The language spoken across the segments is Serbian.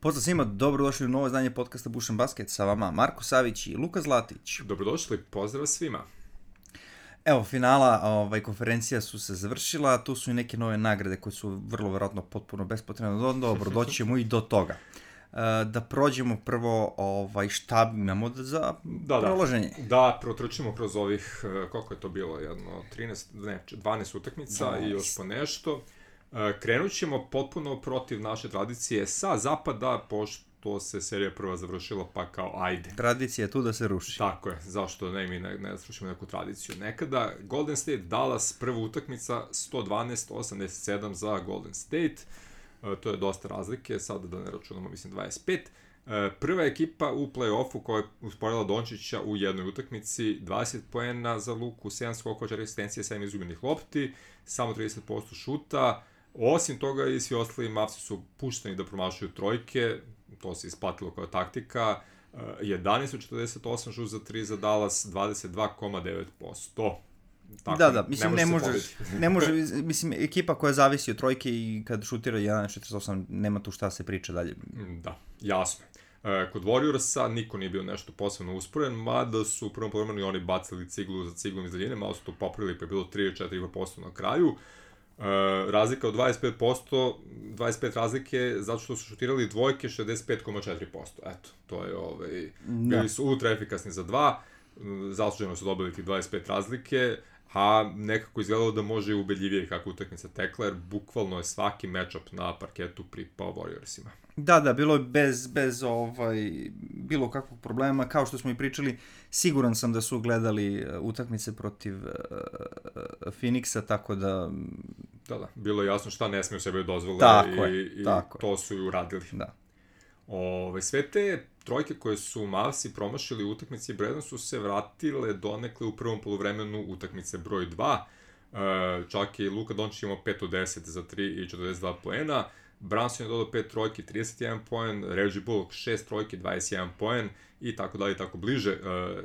Pozdrav svima, dobrodošli u novo izdanje podcasta Buš & Basket, sa vama Marko Savić i Luka Zlatić. Dobrodošli, pozdrav svima. Evo, finala konferencija su se završila, tu su i neke nove nagrade koje su vrlo verovatno potpuno bespotrebne. Dobro, doći ćemo i do toga. Da prođemo prvo šta imamo za prolaženje. Da, protrčimo kroz ovih, koliko je to bilo, 12 utakmica i još po nešto. Krenut ćemo potpuno protiv naše tradicije sa zapada, pošto se serija prva završila, pa kao ajde. Tradicija je tu da se ruši. Tako je, zašto ne srušimo neku tradiciju. Nekada Golden State Dallas, prva utakmica 112-87 za Golden State. To je dosta razlike, sada da ne računamo, mislim 25. Prva ekipa u play-offu koja je usporila Dončića u jednoj utakmici, 20 poena za Luku, 7 skokova, 4 asistencije, 7 izgubljenih lopti, samo 30% šuta. Osim toga i svi ostali Mavsi su pušteni da promašaju trojke, to se isplatilo kao taktika. 11-48 šut za 3 za Dallas, 22,9%. Tako, da, mislim, ne može, mislim, ekipa koja zavisi od trojke i kad šutira 1-48, nema tu šta se priča dalje. Da, jasno. Kod Warriorsa niko nije bio nešto posebno usporen, mada su u prvom polovremenu i oni bacili ciglu za ciglom iz daljine, malo su to popravili pa je bilo 3-4% na kraju. Razlika od 25%, 25 razlike zato što su šutirali dvojke 65,4%. Eto, to je, bili su ultra efikasni za dva, zasluženo su dobili ti 25 razlike, a nekako izgledalo da može i ubedljivije kako utakmica tekla, jer bukvalno je svaki matchup na parketu pripao Warriorsima. Da, bilo je bez bilo kakvog problema, kao što smo i pričali, siguran sam da su gledali utakmice protiv Phoenixa, tako da... Da, bilo je jasno šta ne smiju sebe dozvole i to su i uradili. Da. Sve te trojke koje su Mavsi promašili u utakmici Bredon su se vratile donekle u prvom poluvremenu utakmice broj 2. Čak i Luka Dončić imao 5 od 10 za 3 i 42 poena. Brunson je dodao 5 trojki, 31 poen, Reggie Bullock 6 trojki, 21 poen i tako dalje, tako bliže.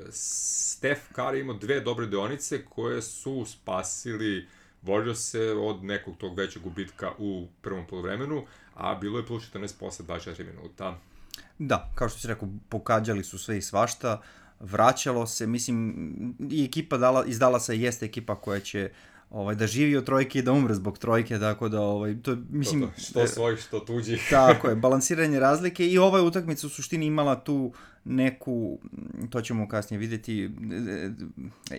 Steph Curry imao 2 dobre deonice koje su spasili Warriors-e od nekog tog većeg gubitka u prvom poluvremenu, a bilo je plus 14 posle 24 minuta. Da, kao što si rekao, pokađali su sve i svašta, vraćalo se, mislim, i ekipa iz Dallasa jeste ekipa koja će da živi od trojke i da umre zbog trojke, tako da, to mislim... Što svojih, što tuđih. Tako je, balansiranje razlike i ova utakmica u suštini imala tu neku, to ćemo kasnije vidjeti,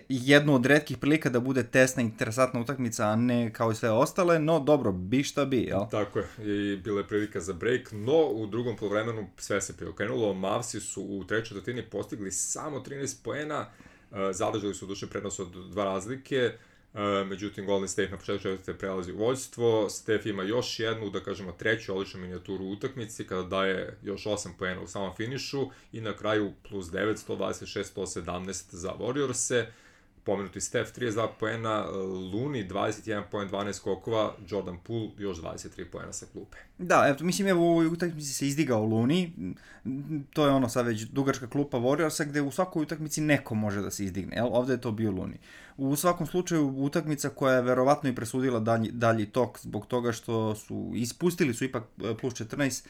jednu od retkih prilika da bude tesna, interesantna utakmica, a ne kao i sve ostale, no dobro, bi šta bi, jel? Tako je, i bila je prilika za break, no u drugom poluvremenu sve se preokrenulo, Mavsi su u trećoj četvrtini postigli samo 13 poena, zadržali su duše prednost od 2 razlike, međutim Golden State na početku četvrte prelazi u vođstvo, Steph ima još jednu, da kažemo treću odličnu minijaturu u utakmici kada daje još 8 poena u samom finišu i na kraju plus 9, 126-117 za Warriors-e. Pomenuti Steph 32 poena, Looney 21 poen, 12 skokova, Jordan Poole još 23 poena sa klupe. Da, mislim, u ovoj utakmici se izdigao Looney, to je sad već dugačka klupa Warriorsa gde u svakoj utakmici neko može da se izdigne, jel? Ovde je to bio Looney. U svakom slučaju utakmica koja je verovatno i presudila dalji tok zbog toga što su ispustili su ipak plus 14,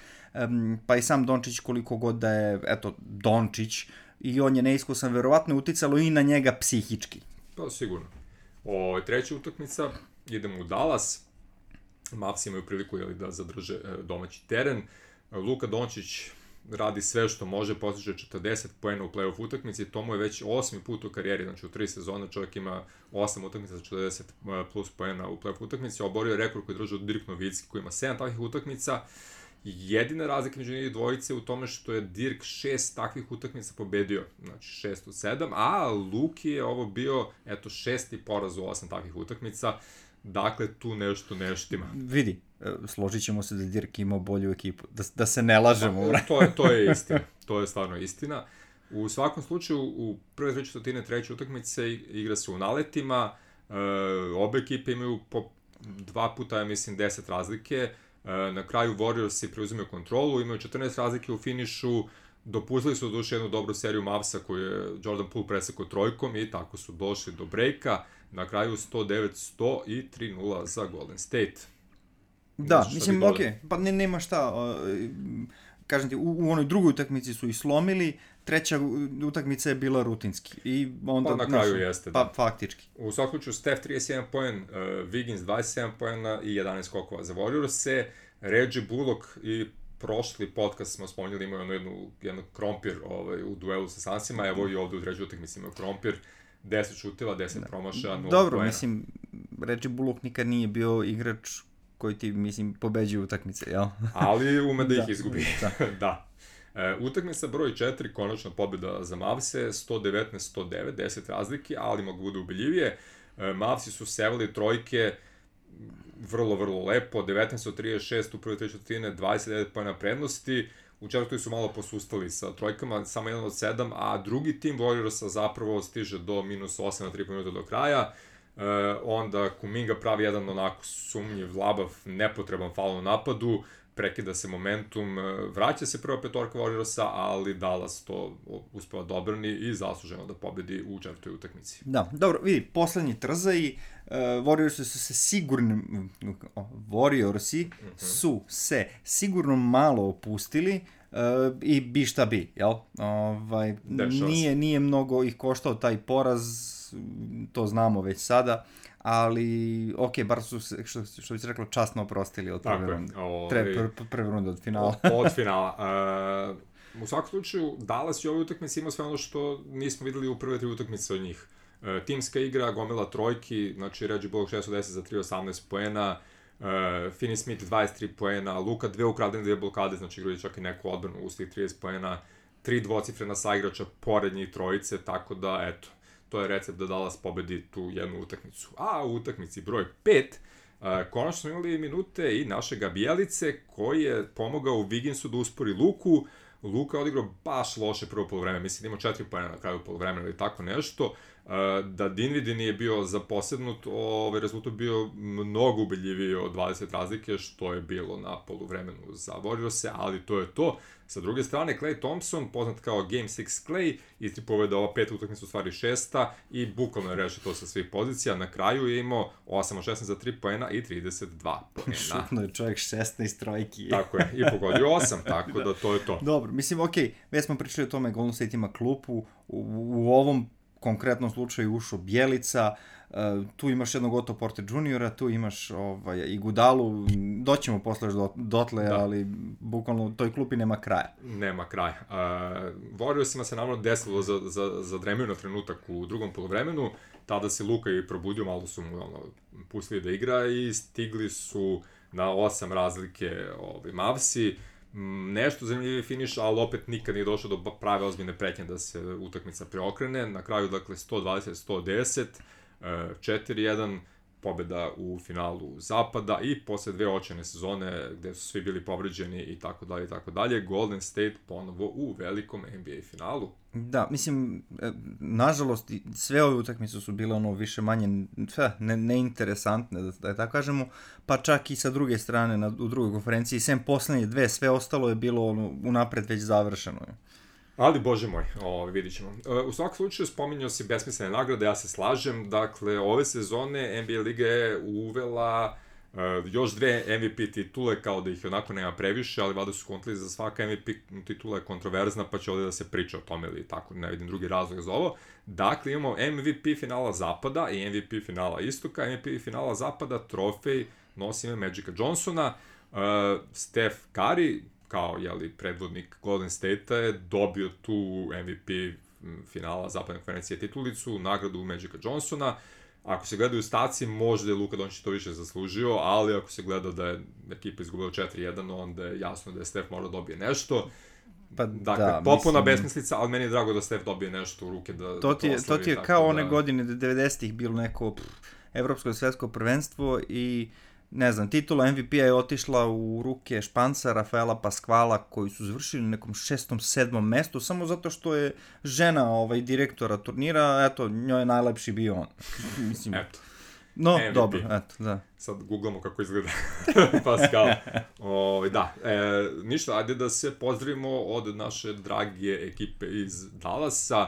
pa i sam Dončić koliko god da je, Dončić, i on je neiskusan, verovatno je uticalo i na njega psihički. Pa sigurno. Treća utakmica, idemo u Dallas. Mavsi imaju priliku da zadrže domaći teren. Luka Dončić radi sve što može, postiže 40 poena u play-off utakmici, to mu je već 8. put u karijeri, znači u 3 sezone čovjek ima 8 utakmica za 40 plus poena u play-off utakmici, oborio je rekord koji držao Dirk Nowitzki koji ima 7 takvih utakmica. Jedina razlika među njih dvojice u tome što je Dirk 6 takvih utakmica pobedio, znači 6 od 7, a Luki je ovo bio, 6. poraz u 8 takvih utakmica, dakle tu nešto neštima. Vidi, složit ćemo se da Dirk imao bolju ekipu, da se ne lažemo. To je istina, to je stvarno istina. U svakom slučaju, u prve 3/4 treće utakmice igra se u naletima, obe ekipe imaju po 2 puta, ja mislim, 10 razlike. Na kraju Warriorsi preuzimaju kontrolu, imaju 14 razlike u finišu, dopustili su duše jednu dobru seriju Mavsa koju je Jordan Poole presekao trojkom i tako su došli do breaka. Na kraju 109-100 i 3-0 za Golden State. Da, mislim, okej, pa nema šta. kažem ti, u onoj drugoj utakmici su i slomili, treća utakmica je bila rutinski. I onda, pa na kraju jeste, da. Pa faktički. U svakom slučaju, Steph 31 poen, Wiggins 27 poena i 11 skokova za Warriors-e, Reggie Bullock i prošli podcast smo spomenuli, imao jednu krompir u duelu sa Sunsima, evo i ovde u trećoj utakmici imao krompir, 10 šuteva, 10 promašaja, 0 poena. Dobro, mislim, Reggie Bullock nikad nije bio igrač koji ti, mislim, pobeđuje utakmice, jel? Ali ume da ih izgubi. Da. Utakmica broj 4, konačno pobjeda za Mavse, 119-109, 10 razlike, ali mogu bude ubeljivije. Mavsi su sevali trojke vrlo, vrlo lepo, 19-36 u prvoj 3 četvrtine, 29 pojena prednosti, u četvrtoj su malo posustali sa trojkama, samo 1 od 7, a drugi tim Warriorsa zapravo stiže do -8 na 3 minuta do kraja. Onda Kuminga pravi jedan onako sumnjiv, labav, nepotreban faul u napadu, prekida se momentum, vraća se prva petorka Warriorsa, ali Dallas to uspeva da odbrani i zasluženo da pobedi u četvrtoj utakmici. Da, dobro, vidi, poslednji trzaj, Warriorsi su se sigurno malo opustili, i bi šta bi, jel? Nije mnogo ih koštao taj poraz, to znamo već sada, ali bar su se, što bi se reklo, časno oprostili od prve runde. Prve runde od finala. Od finala. U svakom slučaju, Dallas i ovoj utakmici imao sve ono što nismo videli u prve 3 utakmice od njih. Timska igra, gomila trojki, znači Reggie Bullock 6 od 10 za 3-18 poena, Finney Smith 23 poena, Luka 2 ukradene 2 blokade, znači igrali čak i neku odbranu u svih 30 poena, 3 dvocifrena saigrača pored njih trojice, tako da, eto, to je recept da Dallas pobedi tu jednu utakmicu. A u utakmici broj 5, konačno smo imali minute i našega Bjelice, koji je pomogao Wigginsu da uspori Luku. Luka je odigrao baš loše prvo polovreme, mislim da imao 4 pojena na kraju polovremena ili tako nešto. Da Dinwiddie nije bio zaposednut, rezultat bio mnogo ubeljiviji od 20 razlike, što je bilo na poluvremenu za Warriors-e, ali to je to. Sa druge strane, Klay Thompson, poznat kao Game 6 Klay, istripove da ova 5 utakmica u stvari 6. i bukvalno je rešio to sa svih pozicija. Na kraju je imao 8 od 16 za 3 poena i 32 poena. Šutno je čovjek 16 trojki. Tako je, i pogodio 8, tako da to je to. Dobro, mislim, već smo pričali o tome, Golden State ima klupu, u ovom konkretnom slučaju ušao Bjelica, tu imaš jednog Otto Porter Jr., tu imaš i Gudalu, doćemo posle dotle, da. Ali bukvalno toj klupi nema kraja. Nema kraja. Warriorsima se naravno desilo zadremio na trenutak u drugom polovremenu, tada se Luka i probudio, malo su mu pustili da igra i stigli su na 8 razlike Mavsi. Nešto zanimljivi finiš, ali opet nikad nije došlo do prave ozbiljne pretnje da se utakmica preokrene. Na kraju, dakle, 120-110, 4-1, pobjeda u finalu Zapada i posle 2 očajne sezone gde su svi bili povređeni i tako dalje, Golden State ponovo u velikom NBA finalu. Da, mislim, nažalost, sve ove utakmice su bile više manje neinteresantne, da je tako kažemo, pa čak i sa druge strane u drugoj konferenciji, sem poslednje 2, sve ostalo je bilo unapred već završeno. Ali, bože moj, vidit ćemo. U svakom slučaju spominjao si besmislene nagrade, ja se slažem, dakle, ove sezone NBA Liga je uvela još 2 MVP titule, kao da ih onako nema previše, ali valjda su kontali za svaka MVP titula je kontroverzna, pa će ovdje da se priča o tome ili tako, ne vidim drugi razlog za ovo. Dakle, imamo MVP finala Zapada i MVP finala Istoka. MVP finala Zapada, trofej, nosi ime Magica Johnsona. Steph Curry, kao predvodnik Golden State-a, je dobio tu MVP finala Zapadne konferencije titulicu, nagradu Magica Johnsona. Ako se gledaju staci, možda je Luka Dončić to više zaslužio, ali ako se gleda da je ekipa izgubila 4-1, onda je jasno da je Steph morao dobije nešto. Pa, dakle, popuna besmislica, ali meni je drago da Steph dobije nešto u ruke da to oslavi. To ti je kao one godine 90-ih bilo neko evropsko svetsko prvenstvo i ne znam, titula MVP-a je otišla u ruke Španca, Rafaela Pasquala, koji su završili na nekom 6. 7. mestu, samo zato što je žena direktora turnira, eto, njoj je najlepši bio on. Mislim, eto. No, MVP. Dobro, eto, da. Sad googlamo kako izgleda Pascal. Da, ništa, ajde da se pozdravimo od naše drage ekipe iz Dallasa.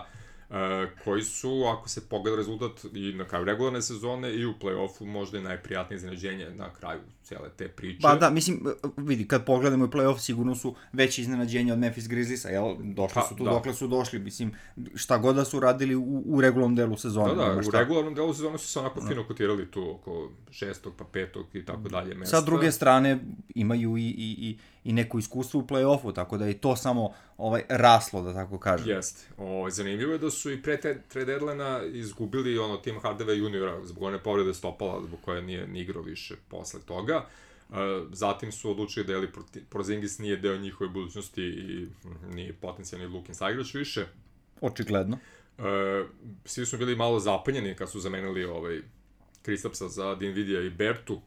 koji su, ako se pogleda rezultat i na kraju regularne sezone i u play-offu, možda i najprijatnije iznenađenje na kraju cijele te priče. Pa da, mislim, vidi, kad pogledamo i play-off, sigurno su veće iznenađenja od Memphis Grizzliesa, jel? Došli su tu, dokle su došli, mislim, šta god da su radili u regularnom delu sezone. Da, u regularnom delu sezone su se onako fino kotirali tu oko 6. pa 5. i tako dalje mesta. Sa druge strane, imaju i neko iskustvo u play-offu, tako da je to samo raslo, da tako kažem. Jeste. Zanimljivo je da su i pre trade deadline-a izgubili Tim Hardaway juniora zbog one povrede stopala, zbog koje nije ni igrao više posle toga. Zatim su odlučili da Porzingis nije deo njihove budućnosti i nije potencijalni Lukin saigrač više. Očigledno. Svi su bili malo zapanjeni kad su zamenili Kristapsa za Dinvidija i Bertu,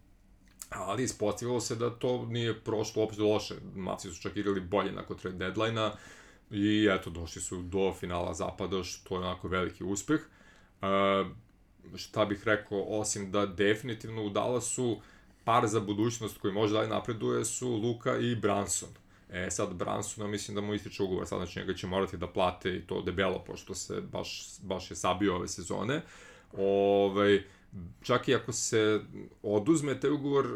ali ispostavilo se da to nije prošlo uopšte loše. Mavsi su čak igrali bolje nakon trade deadline-a i eto, došli su do finala zapada, što je onako veliki uspeh. Šta bih rekao, osim da definitivno u Dallasu par za budućnost koji može dalje napreduje su Luka i Brunson. Sad Brunsona mislim da mu ističe ugovor, sad znači njega će morati da plate i to debelo, pošto se baš je sabio ove sezone. Čak i ako se oduzme taj ugovor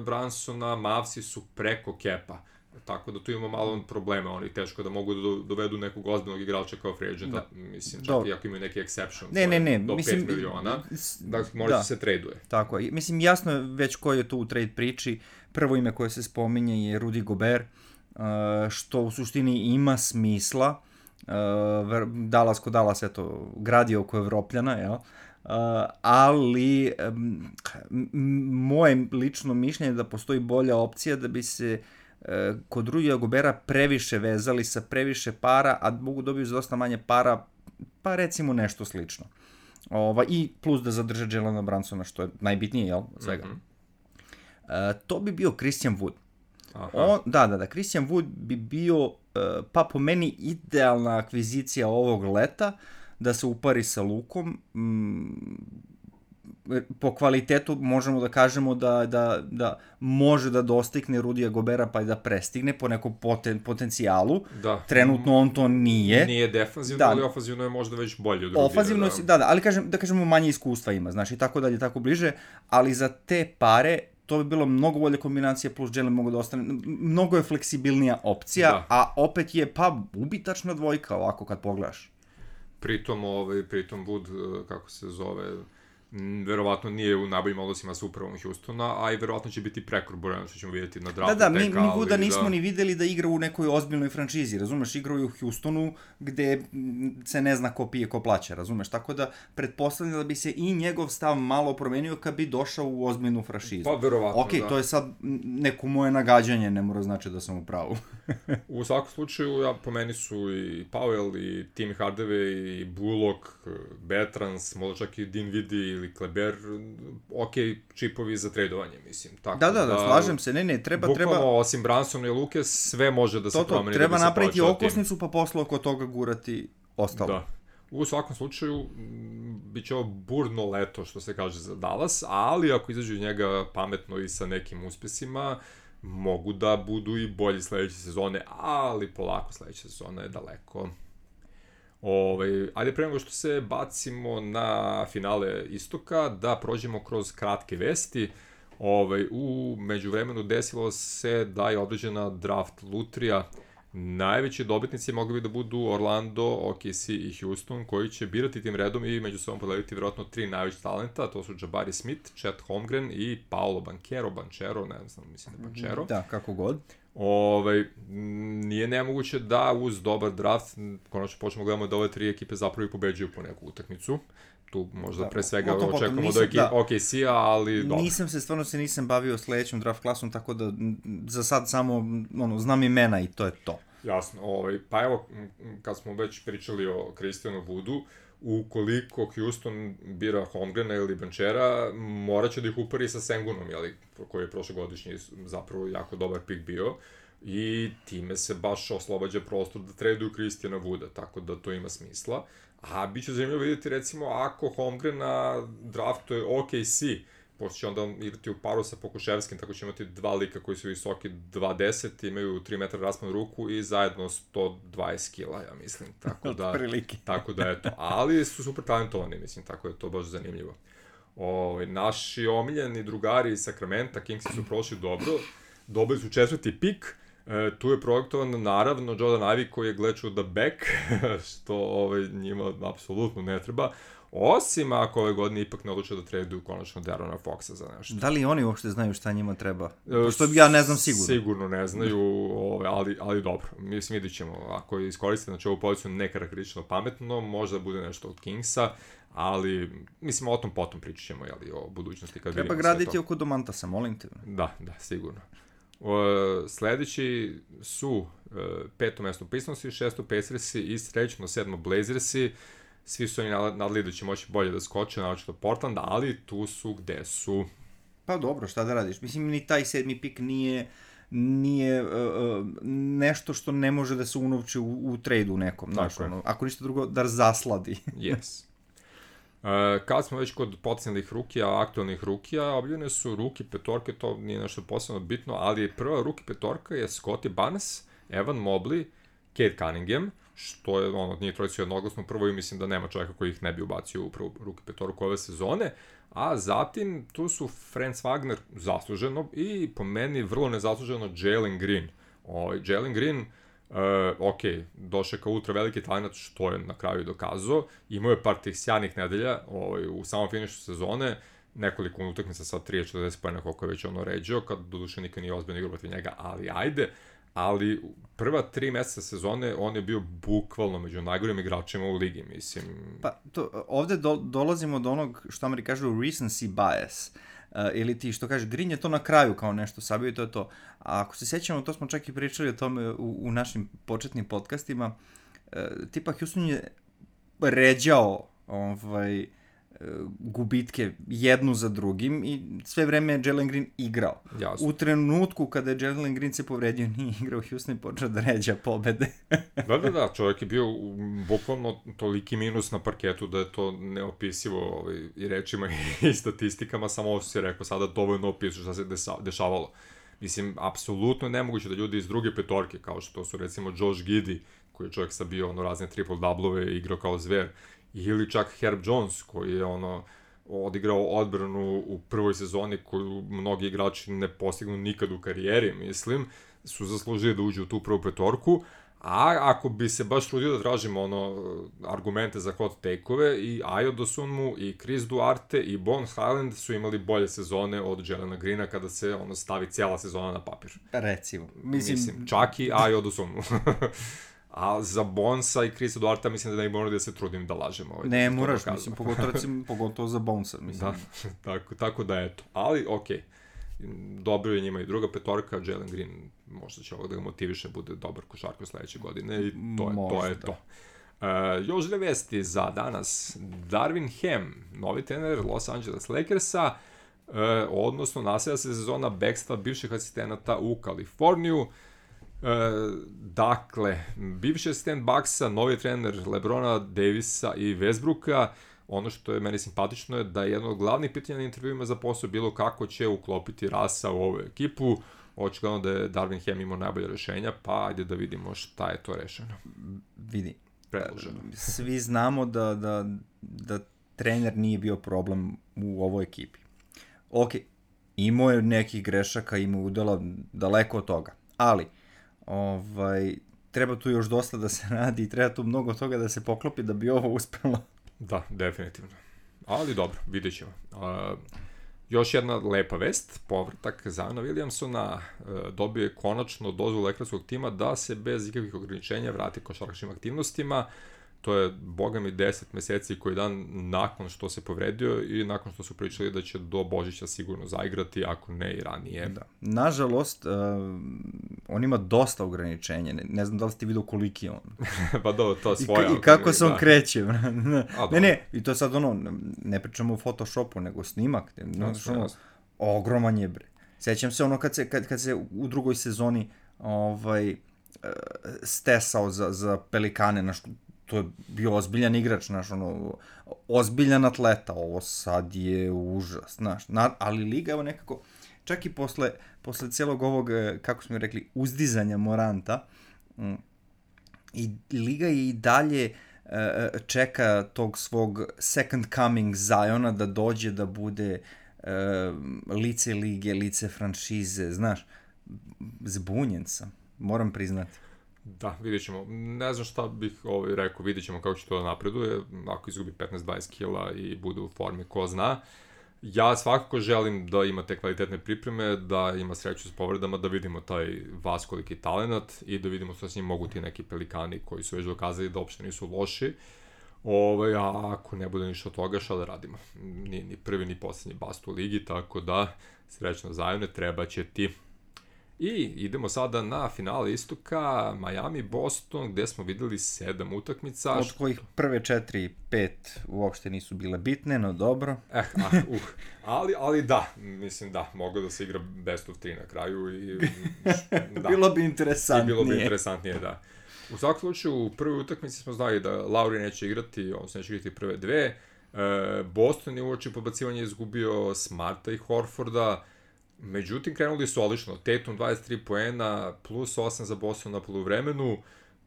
Brunsona, Mavsi su preko kepa. Tako da tu imamo malo problema, oni teško da mogu da dovedu nekog ozbiljnog igrača kao free agenta, mislim, čak i ako imaju neki exception, do 5 miliona, da možda se traduje. Tako je, mislim, jasno je već ko je tu u trade priči. Prvo ime koje se spominje je Rudy Gobert, što u suštini ima smisla. Dallas ko Dallas, eto, gradio oko Evropljana, jel? Ali moje lično mišljenje je da postoji bolja opcija da bi se kod Rudija Gobera previše vezali sa previše para, a mogu dobiti za dosta manje para, pa recimo nešto slično. I plus da zadrže Jelena Brunsona, što je najbitnije, jel, svega. To bi bio Christian Wood. Da, Christian Wood bi bio, pa po meni, idealna akvizicija ovog leta, da se upari sa Lukom. Po kvalitetu možemo da kažemo da može da dostigne Rudija Gobera pa i da prestigne po nekom potencijalu. Trenutno on to nije. Nije defanzivno, ali ofanzivno je možda već bolje od Rudija. Ofanzivno, ali da kažemo manje iskustva ima, znaš, i tako dalje, tako bliže, ali za te pare to bi bilo mnogo bolje kombinacija, plus Jalen mogu da ostane, mnogo je fleksibilnija opcija, a opet je ubitačna dvojka ovako kad pogledaš. Pritom Wood, kako se zove, verovatno nije u najboljim odnosima sa upravom Houstona, a i verovatno će biti prekor Borjana, što ćemo vidjeti na draftu. Mi Wooda nismo ni videli da igra u nekoj ozbiljnoj franšizi, razumeš, igrao je u Houstonu gde se ne zna ko pije, ko plaća, razumeš, tako da pretpostavljam da bi se i njegov stav malo promenio kad bi došao u ozbiljnu franšizu. Pa verovatno, da. To je sad neko moje nagađanje, ne mora znači da sam u pravu. U svakom slučaju, po meni su i Powell, i Tim Hardaway, i Bullock, Bertans, možda čak i Dinwiddie ili Kleber, čipovi za tradovanje, mislim. Tako da, slažem se, treba... Bukvalno, osim Brunsona i Luke, sve može da se promeni. Treba napraviti okosnicu, pa posle oko toga gurati ostalo. Da. U svakom slučaju, bit će ovo burno leto, što se kaže za Dallas, ali ako izađu njega pametno i sa nekim uspesima, mogu da budu i bolji sledeće sezone, ali polako sledeća sezona je daleko. Ajde pre nego što se bacimo na finale istoka, da prođemo kroz kratke vesti. U međuvremenu desilo se da je određena draft lutrija. Najveći dobitnici mogli bi da budu Orlando, OKC i Houston, koji će birati tim redom i među sobom podeliti vjerojatno 3 najveći talenta, to su Jabari Smith, Chet Holmgren i Paolo Banchero, ne znam, mislim da je Banchero. Da, kako god. Nije nemoguće da uz dobar draft, konačno počnemo gledamo da ove 3 ekipe zapravo i pobeđuju po neku utakmicu. Tu možda pre svega očekujemo do OKC-a, ali dobro. Nisam bavio sledećom draft klasom, tako da za sad samo znam imena i to je to. Jasno, pa evo, kad smo već pričali o Christianu Woodu, ukoliko Houston bira Holmgrena ili Banchera, morat će da ih upari sa Sengunom, koji je prošlogodišnji zapravo jako dobar pik bio, i time se baš oslobađa prostor da traduju Christiana Wooda, tako da to ima smisla. A bit će zanimljivo vidjeti, recimo, ako Holmgrena draftuje OKC, pošto će onda igrati u paru sa Pokuševskim, tako će imati dva lika koji su visoki 2.10, imaju 3 metra raspon ruku i zajedno 120 kila, ja mislim, tako da eto, ali su super talentovani, mislim, tako da je to baš zanimljivo. Naši omiljeni drugari iz Sakramenta, Kingsi su prošli dobro, dobili su 4. pik, tu je projektovan naravno Jordan Ivey koji je glečuo da back, što njima apsolutno ne treba, osim ako ove godine ipak ne odluče da traduju konačno Darona Foxa za nešto. Da li oni uopšte znaju šta njima treba? Što ja ne znam sigurno. Sigurno ne znaju, ali dobro, mislim vidit ćemo, ako iskoriste znači ovu poziciju nekarakteristično pametno, možda bude nešto od Kingsa, ali mislim o tom potom pričat ćemo, o budućnosti kad vidimo sve to. Treba graditi oko Domantasa, molim te. Da, sigurno. Sledeći su 5. mesto Pistonsi, 6. Pacersi i srećno 7. Blazersi. Svi su oni nadali da će moći bolje da skoče, naročito Portland, ali tu su gde su. Pa dobro, šta da radiš? Mislim, ni taj 7. pik nije nešto što ne može da se unovči u trejdu nekom. Znaš, ako ništa drugo, da zasladi. Yes. Kad smo već kod potencijalnih rukija, aktualnih rukija, objavljene su ruki petorke, to nije nešto posebno bitno, ali prva ruki petorka je Scottie Barnes, Evan Mobley, Cade Cunningham, što je, nije trojica jednoglasno prvo i mislim da nema čovjeka koji ih ne bi ubacio u prvu ruki petorku ove sezone, a zatim tu su Franz Wagner zasluženo i po meni vrlo nezasluženo Jalen Green. Jalen Green, došao kao ultra veliki talent, što je na kraju dokazao, imao je par tih sjajnih nedelja u samom finišu sezone, nekoliko utakmica sa 30-40 pojena koliko je već ređao, kad doduše nikad nije ozbiljno igrao protiv njega, ali ajde, ali prva 3 meseca sezone on je bio bukvalno među najgorim igračima u ligi, mislim. Pa, ovde dolazimo do onog što Ameri kažu recency bias, ili ti što kaže, Green je to na kraju kao nešto sabio i to je to. A ako se sjećamo, to smo čak i pričali o tome u našim početnim podcastima, tipa Houston je ređao gubitke jednu za drugim i sve vreme je Jalen Green igrao. Jasno. U trenutku kada je Jalen Green se povredio, nije igrao, Houston i počeo da ređa pobede. Da, čovjek je bio bukvalno toliki minus na parketu da je to neopisivo i rečima i statistikama, samo ovo si rekao sada dovoljno opisu šta se dešavalo. Mislim, apsolutno nemoguće da ljudi iz druge petorke, kao što su recimo Josh Giddey, koji je čovjek sa bio razne triple-doublove i igrao kao zver, ili čak Herb Jones, koji je odigrao odbranu u prvoj sezoni koju mnogi igrači ne postignu nikad u karijeri, mislim, su zaslužili da uđu u tu prvu petorku, a ako bi se baš trudio da tražimo argumente za hot take-ove, i Ayo Dosunmu, i Chris Duarte, i Bones Hyland su imali bolje sezone od Jelena Greena kada se stavi cijela sezona na papir. Recimo. Mislim čak i Ayo Dosunmu. A za Bonesa i Chrisa Duarta mislim da ne moramo da se trudim da lažem. Ne moraš, mislim, pogotovo za Bonesa, mislim. Da, tako da eto. Ali, okej. Dobro je njima i druga petorka, Jalen Green možda će ovo da ga motiviše, bude dobar košarkaš sledeće godine i to je to. Još dve vesti za danas. Darvin Ham, novi trener Los Angeles Lakersa, odnosno nastavlja se sezona bekstva bivših asistenata u Kaliforniju. Dakle, bivši asistent Bucksa, novi trener LeBrona, Davisa i Westbrooka. Ono što je meni simpatično je da je jedno od glavnih pitanja na intervjuima za posao bilo kako će uklopiti Rasa u ovu ekipu. Očigledno da je Darvin Ham imao najbolje rešenja, pa ajde da vidimo šta je to rešeno. Vidi, predloženo. Svi znamo da trener nije bio problem u ovoj ekipi. Ok, imao je nekih grešaka, imao udela daleko od toga, ali treba tu još dosta da se radi i treba tu mnogo toga da se poklopi da bi ovo uspelo. Da, definitivno. Ali dobro, vidjet ćemo. Još jedna lepa vest, povratak Ziona Williamsona, dobio je konačno dozvolu lekarskog tima da se bez ikakvih ograničenja vrati košarkaškim aktivnostima. To je, boga mi, 10 meseci koji dan nakon što se povredio i nakon što su pričali da će do Božića sigurno zaigrati, ako ne i ranije. Da. Nažalost, on ima dosta ograničenja. Ne znam da li ste vidio koliki je on. Pa da, to je svoja. I kako se on kreće. Ne, i to sad ne pričamo o Photoshopu, nego snimak. Ogroman je, bre. Sećam se kad se u drugoj sezoni stesao za Pelikane, to je bio ozbiljan igrač, znaš, ozbiljan atleta, ovo sad je užas, znaš, ali liga, evo nekako, čak i posle cijelog ovog, kako smo rekli, uzdizanja Moranta, i liga i dalje čeka tog svog second coming Ziona da dođe da bude lice lige, lice franšize, znaš, zbunjen sam, moram priznati. Da, vidjet ćemo. Ne znam šta bih rekao, vidjet ćemo kako će to napreduje, ako izgubi 15-20 kila i bude u formi, ko zna. Ja svakako želim da ima te kvalitetne pripreme, da ima sreću s povredama, da vidimo taj vaskoliki talenat i da vidimo što s njim mogu ti neki pelikani koji su već dokazali da uopšte nisu loši. A ako ne bude ništa od toga, šta da radimo? Ni prvi, ni poslednji bast u ligi, tako da srećno Zione, treba će ti. I idemo sada na finale istoka, Miami-Boston, gde smo videli 7 utakmica. Od kojih prve 4 i 5 uopšte nisu bile bitne, no dobro. Ali da, mislim da, moglo da se igra best of 3 na kraju. I, da. Bilo bi interesantnije, da. U svakom slučaju, u prvoj utakmici smo znali da Lauri neće igrati, on se neće igrati prve dve. Boston je uoči podbacivanja izgubio Smarta i Horforda. Međutim, krenuli su odlično. Tatum 23 poena, plus 8 za Boston na poluvremenu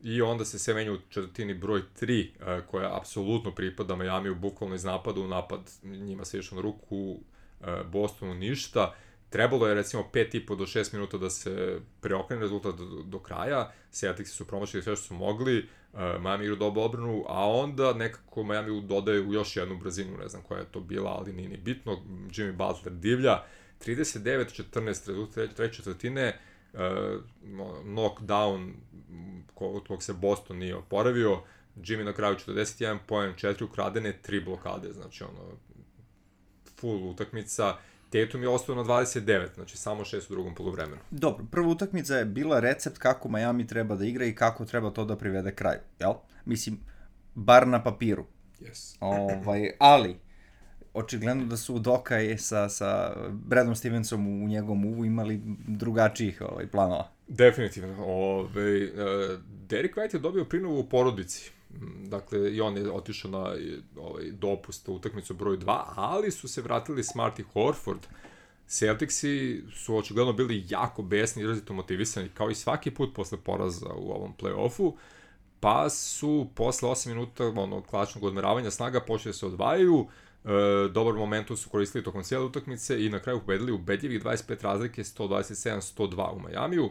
i onda se sve menja u četvrtini broj 3, koja apsolutno pripada Miami, bukvalno iz napada u napad. Njima se išlo na ruku, Bostonu ništa. Trebalo je recimo 5,5 do 6 minuta da se preokrene rezultat do kraja. Celticsi su promašili sve što su mogli, Miami igra dobro odbranu, a onda nekako Miami dodaje u još jednu brzinu, ne znam koja je to bila, ali nije ni bitno. Jimmy Butler divlja. 39-14 rezultat treće četvrtine, knockdown od kog se Boston nije oporavio, Jimmy na kraju 41 poen, 4 ukradene, 3 blokade, znači full utakmica. Tatum je ostao na 29, znači samo 6 u drugom poluvremenu. Dobro, prva utakmica je bila recept kako Miami treba da igra i kako treba to da privede kraju, jel? Mislim, bar na papiru. Yes. Ali, očigledno da su Udoka i sa Bradom Stevensom u njegovom uvu imali drugačijih planova. Definitivno. Derek White je dobio prinovu u porodici. Dakle, i on je otišao na dopust u utakmicu broj 2, ali su se vratili Smart i Horford. Celticsi su očigledno bili jako besni, izrazito motivisani, kao i svaki put posle poraza u ovom play-offu, pa su posle 8 minuta klasičnog odmeravanja snaga počeli se odvajaju. Dobar momentum su koristili tokom cijele utakmice i na kraju pobedili ubedljivih 25 razlike, 127-102 u Majamiju.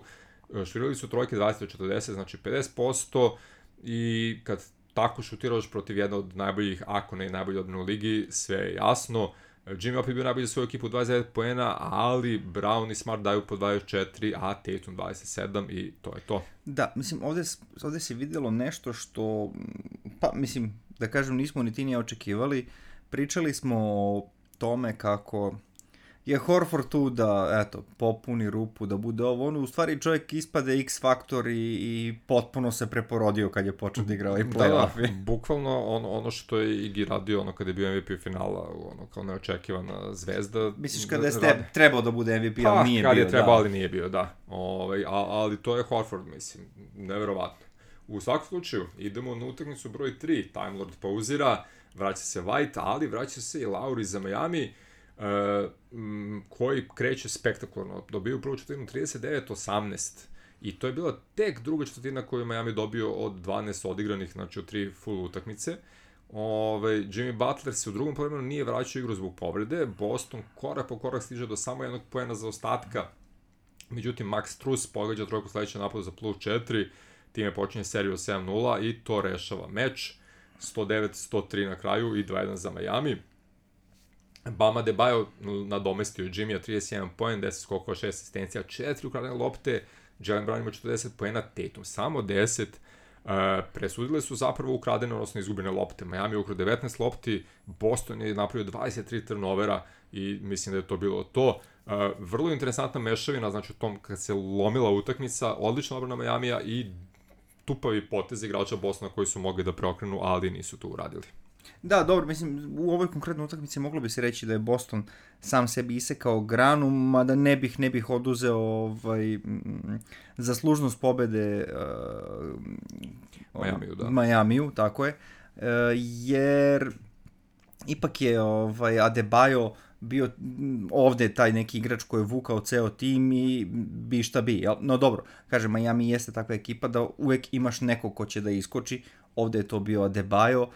Šutirali su trojke 20-40, znači 50%, i kad tako šutiraš protiv jedne od najboljih, ako ne najbolji odbrane u ligi, sve je jasno. Jimmy opet bio najbolji za svoju ekipu, 29 poena, ali Brown i Smart daju po 24, a Tatum 27 i to je to. Da, mislim, ovde se vidjelo nešto što, pa mislim, da kažem, nismo ni ti nije očekivali. Pričali smo o tome kako je Horford tu da, popuni rupu, da bude ovo, u stvari čovjek ispade X-faktor i potpuno se preporodio kad je počeo da igra ovaj play-off. Da, bukvalno ono što je Igi radio kad je bio MVP finala, kao neočekivana zvezda. Misliš kada je trebao da bude MVP, ali nije bio, kad je trebao, ali nije bio, da. Ali to je Horford, mislim, neverovatno. U svakom slučaju, idemo na utakmicu broj 3, Time Lord pauzira, vraća se White, ali vraća se i Lauri za Miami, koji kreće spektakularno. Dobio prvu četvrtinu 39-18 i to je bila tek druga četvrtina koju je Miami dobio od 12 odigranih, znači od 3 full utakmice. Jimmy Butler se u drugom poluvremenu nije vraćao igru zbog povrede. Boston korak po korak stiže do samo jednog poena za ostatka. Međutim, Max Strus pogađa trojku sledeće napadu za plus 4. Time počinje seriju 7-0 i to rešava meč. 109-103 na kraju i 2-1 za Miami. Bama Adebayo nadomestio Jimmya 31 poen, 10 skokova, 6 asistencija, 4 ukradene lopte. Jalen Brown ima 40 poena, Tatum samo 10. Presudile su zapravo ukradene, odnosno izgubene lopte. Miami je ukrao 19 lopti, Boston je napravio 23 turnovera i mislim da je to bilo to. Vrlo interesantna mešavina, znači u tom kad se lomila utakmica, odlična obrana Miamija i tupavi potez igrača Bostona koji su mogli da preokrenu, ali nisu to uradili. Da, dobro, mislim, u ovoj konkretnoj utakmici moglo bi se reći da je Boston sam sebi isekao granu, mada ne bih oduzeo zaslužnost pobede Majamiju, tako je, jer ipak je Adebayo bio ovde taj neki igrač koji je vukao ceo tim i bi šta bi, jel? No dobro, kažem, Miami jeste takva ekipa da uvek imaš nekog ko će da iskoči, ovde je to bio Adebayo,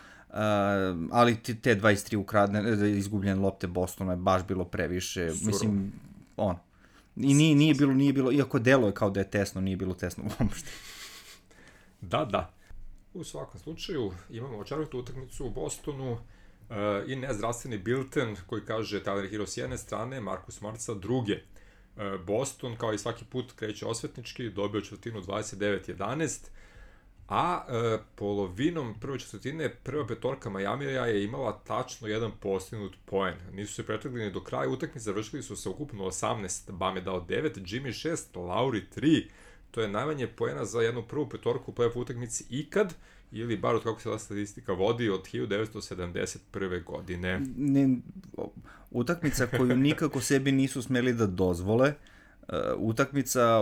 ali te 23 izgubljene lopte Bostona je baš bilo previše, mislim, i nije bilo, iako delo je kao da je tesno, nije bilo tesno uopšte. Da. U svakom slučaju imamo očarvitu utakmicu u Bostonu i nezdravstveni bilten koji kaže Tyler Hero s jedne strane, Marcus Smart sa druge. Boston, kao i svaki put, kreće osvetnički, dobio četvrtinu 29-11, a polovinom prve četvrtine prva petorka Majamija je imala tačno jedan postignut poen. Nisu se pretrgli ni do kraja utakmice, završili su se ukupno 18, Bam je dao 9, Jimmy 6, Lauri 3. To je najmanje poena za jednu prvu petorku u play-off utakmici ikad, ili bar od kako se ta statistika vodi od 1971. godine. Utakmica koju nikako sebi nisu smeli da dozvole, utakmica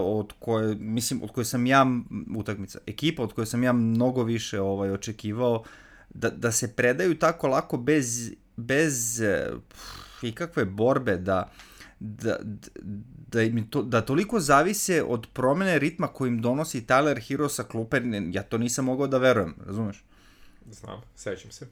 ekipa od koje sam ja mnogo više očekivao da se predaju tako lako bez ikakve borbe, da toliko zavise od promene ritma kojim donosi Tyler Hero sa klupe, ja to nisam mogao da verujem, razumeš? Znam, sećam se.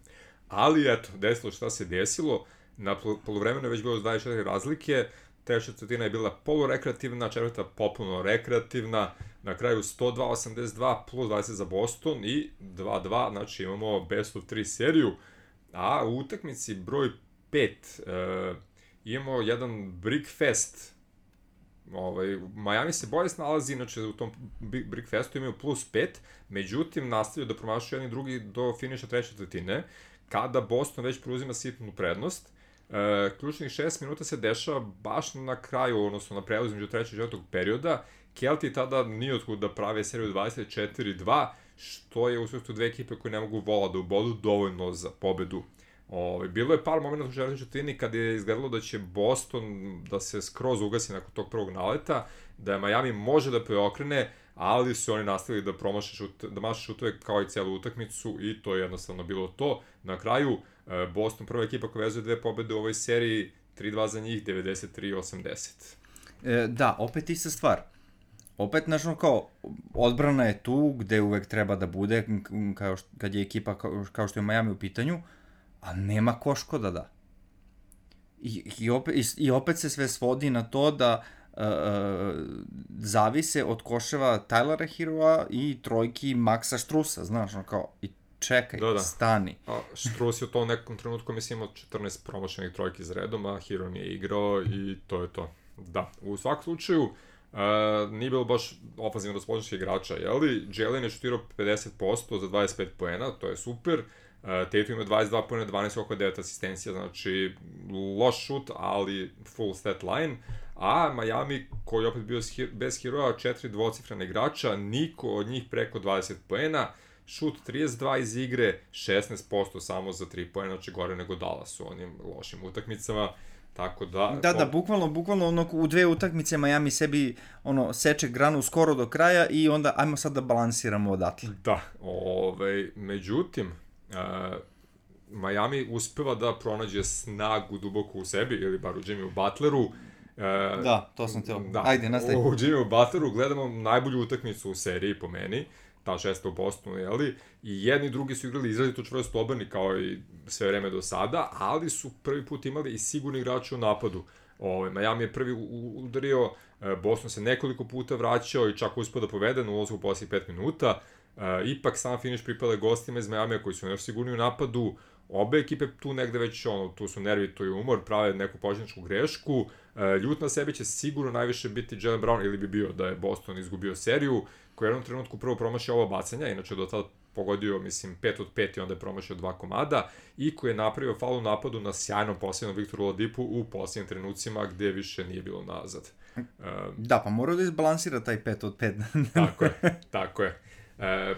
Ali eto, desilo šta se desilo, na poluvremenu je već bilo 24 razlike, treća četvrtina je bila polurekreativna, četvrta popuno rekreativna, na kraju 102-82 plus 20 za Boston i 2-2, znači imamo best of 3 seriju, a u utakmici broj 5 imamo jedan Brick Fest. Miami se bolje snalazi, inače u tom Brick Festu imaju plus 5, međutim nastavljaju da promašaju jedni drugi do finiša treće četvrtine, kada Boston već preuzima sitnu prednost. Ključnih 6 minuta se dešava baš na kraju, odnosno na prelazu među trećeg i četvrtog perioda. Kelti tada nije otkud da prave seriju 24-2, što je u svetu dve ekipe koje ne mogu vola da ubodu dovoljno za pobedu. Bilo je par momenta u četvrtoj četvrtini kad je izgledalo da će Boston da se skroz ugasi nakon tog prvog naleta, da je Miami može da preokrene, ali su oni nastavili da maše šutove kao i celu utakmicu i to je jednostavno bilo to. Na kraju, Boston prva ekipa koja vezuje dve pobede u ovoj seriji, 3-2 za njih, 93-80. Da, opet ista stvar. Opet, kao, odbrana je tu gde uvek treba da bude, kad je ekipa kao što je Miami u pitanju, a nema ko što da da. I opet se sve svodi na to da zavise od koševa Tylera Heroa i trojki Maxa Strusa, znaš, kao, i čekaj, stani. A Strus je u tom nekom trenutku, mislim, imao 14 promošenih trojki za redom, a Hero nije igrao i to je to. Da, u svakom slučaju, nije bilo baš ofenzivno raspoloženih igrača, jeli? Jalen je šutirao 50% za 25 poena, to je super. Tatum ima 22 poena, 12 oko 9 asistencija, znači loš šut, ali full stat line. A Miami, koji je opet bio bez Heroa, 4 dvocifrena igrača, niko od njih preko 20 poena, šut 32 iz igre, 16% samo za 3 poena, znači gore nego Dallas u onim lošim utakmicama. Tako da... Da, bukvalno u dve utakmice Miami sebi seče granu skoro do kraja i onda ajmo sad da balansiramo odatle. Da, međutim, Miami uspeva da pronađe snagu duboko u sebi, ili bar u Jimmyu Butleru. Da, to sam teo. Ajde, nastavi. U Jimmyu Butleru gledamo najbolju utakmicu u seriji po meni, ta šesta u Bostonu, jeli? I jedni i drugi su igrali izrazito čvrsto obrani kao i sve vreme do sada, ali su prvi put imali i sigurni igrači u napadu. Miami je prvi udario, Boston se nekoliko puta vraćao i čak uspeo da povede na ulazu u posljednjih 5 minuta. Ipak sam finiš pripada gostima iz Miamija koji su još sigurni u napadu. Obe ekipe tu negde već, tu su nervi, tu je umor, prave neku početničku grešku. Ljut na sebi će sigurno najviše biti Jaylen Brown, ili bi bio da je Boston izgubio seriju, koji je u jednom trenutku prvo promašio ova bacanja, inače do tada pogodio, 5 od 5 i onda je promašio 2 komada, i koji je napravio faul u napadu na sjajnom posljednom Viktoru Oladipu u posljednjim trenucima gde više nije bilo nazad. Da, pa morao da izbalansira taj 5 od 5. Tako je.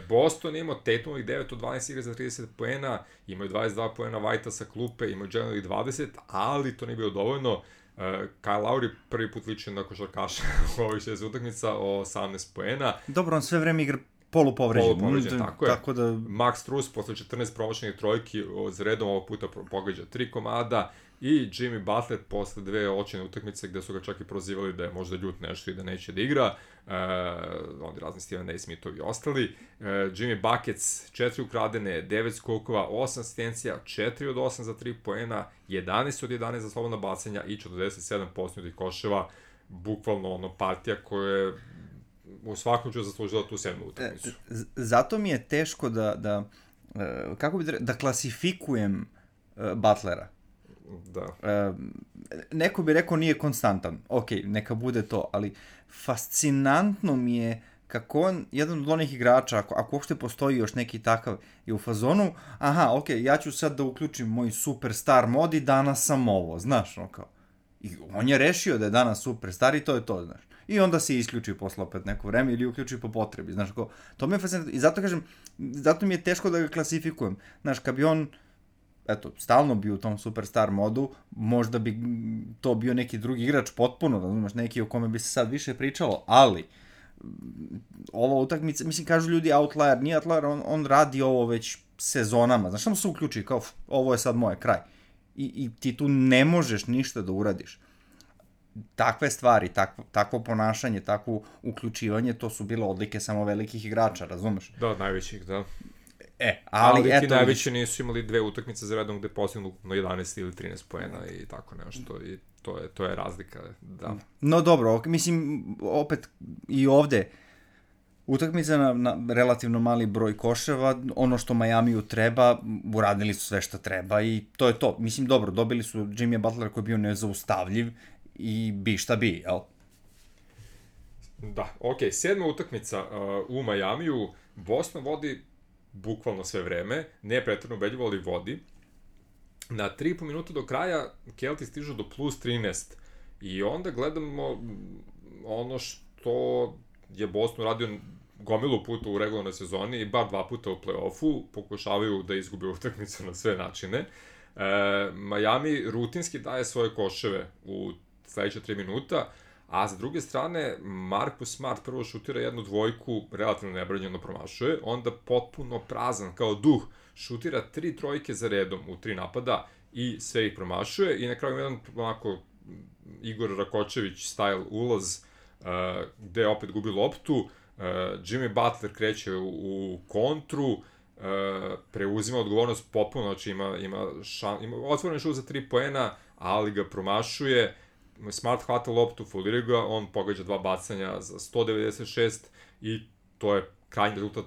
Boston ima Tatumovih 9 od 12 igra za 30 poena, imaju 22 poena Whitea sa klupe, imaju Jelenovih 20, ali to nije bilo dovoljno. Kyle Lowry prvi put liči na košarkaša u ovih 6 utakmica o 18 poena. Dobro, on sve vreme igra polupovređen, tako da... Max Strus posle 14 promašenih trojki za redom ovog puta pogađa 3 komada i Jimmy Butler posle 2 očajne utakmice gde su ga čak i prozivali da je možda ljut nešto i da neće da igra, onda razni Steven A. Smithovi i ostali. Jimmy Buckets 4 ukradene, 9 skokova, 8 asistencija, 4 od 8 za 3 poena, 11 od 11 za slobodna bacanja i 47 postignutih koševa, bukvalno partija koja je u svakom ću zaslužila tu 7. utakmicu. Zato mi je teško da klasifikujem Butlera. Da. Neko bi rekao nije konstantan. Ok, neka bude to, ali fascinantno mi je kako on, jedan od onih igrača, ako uopšte postoji još neki takav, je u fazonu, aha, ok, ja ću sad da uključim moj superstar mod i danas sam ovo, znaš, no kao. I on je rešio da je danas superstar i to je to, znaš. I onda se isključi posle opet neko vreme ili uključi po potrebi, znaš, kao, to mi je fascinantno. I zato kažem, zato mi je teško da ga klasifikujem. Znaš, kad bi on, eto, stalno bio u tom superstar modu, možda bi to bio neki drugi igrač potpuno, razumeš, neki o kome bi se sad više pričalo, ali ova utakmica, mislim, kažu ljudi outlier, nije outlier, on radi ovo već sezonama, znaš, samo se uključi, kao, ovo je sad moje, kraj. I ti tu ne možeš ništa da uradiš. Takve stvari, takvo ponašanje, takvo uključivanje, to su bile odlike samo velikih igrača, razumeš? Da, najvećih, da. Ali ti najveći nisu imali 2 utakmice za redom gde postignu 11 ili 13 poena i tako nešto, i to je razlika, da. No dobro, mislim, opet i ovde, utakmica na relativno mali broj koševa, ono što Majamiju treba, uradili su sve što treba i to je to. Mislim, dobro, dobili su Jimmy Butlera koji je bio nezaustavljiv i bi šta bi, jel? Da, ok, 7. utakmica u Majamiju, Boston vodi bukvalno sve vreme, ne pretredno ubedljivo, ali vodi. Na 3,5 minuta do kraja Kelti stižu do plus 13 i onda gledamo ono što je Boston radio gomilu puta u regularnoj sezoni i bar 2 puta u play-offu, pokušavaju da izgube utakmicu na sve načine. Miami rutinski daje svoje koševe u sledeće 3 minuta, a sa druge strane, Marcus Smart prvo šutira jednu dvojku, relativno nebranjeno promašuje, onda potpuno prazan kao duh, šutira 3 trojke za redom u 3 napada i sve ih promašuje i na kraju jedan onako Igor Rakočević style ulaz gde opet gubi loptu, Jimmy Butler kreće u kontru, preuzima odgovornost potpuno, znači ima otvoren šut za 3 poena, ali ga promašuje, Smart hvata loptu, folira ga, on pogađa 2 bacanja za 196 i to je krajnji rezultat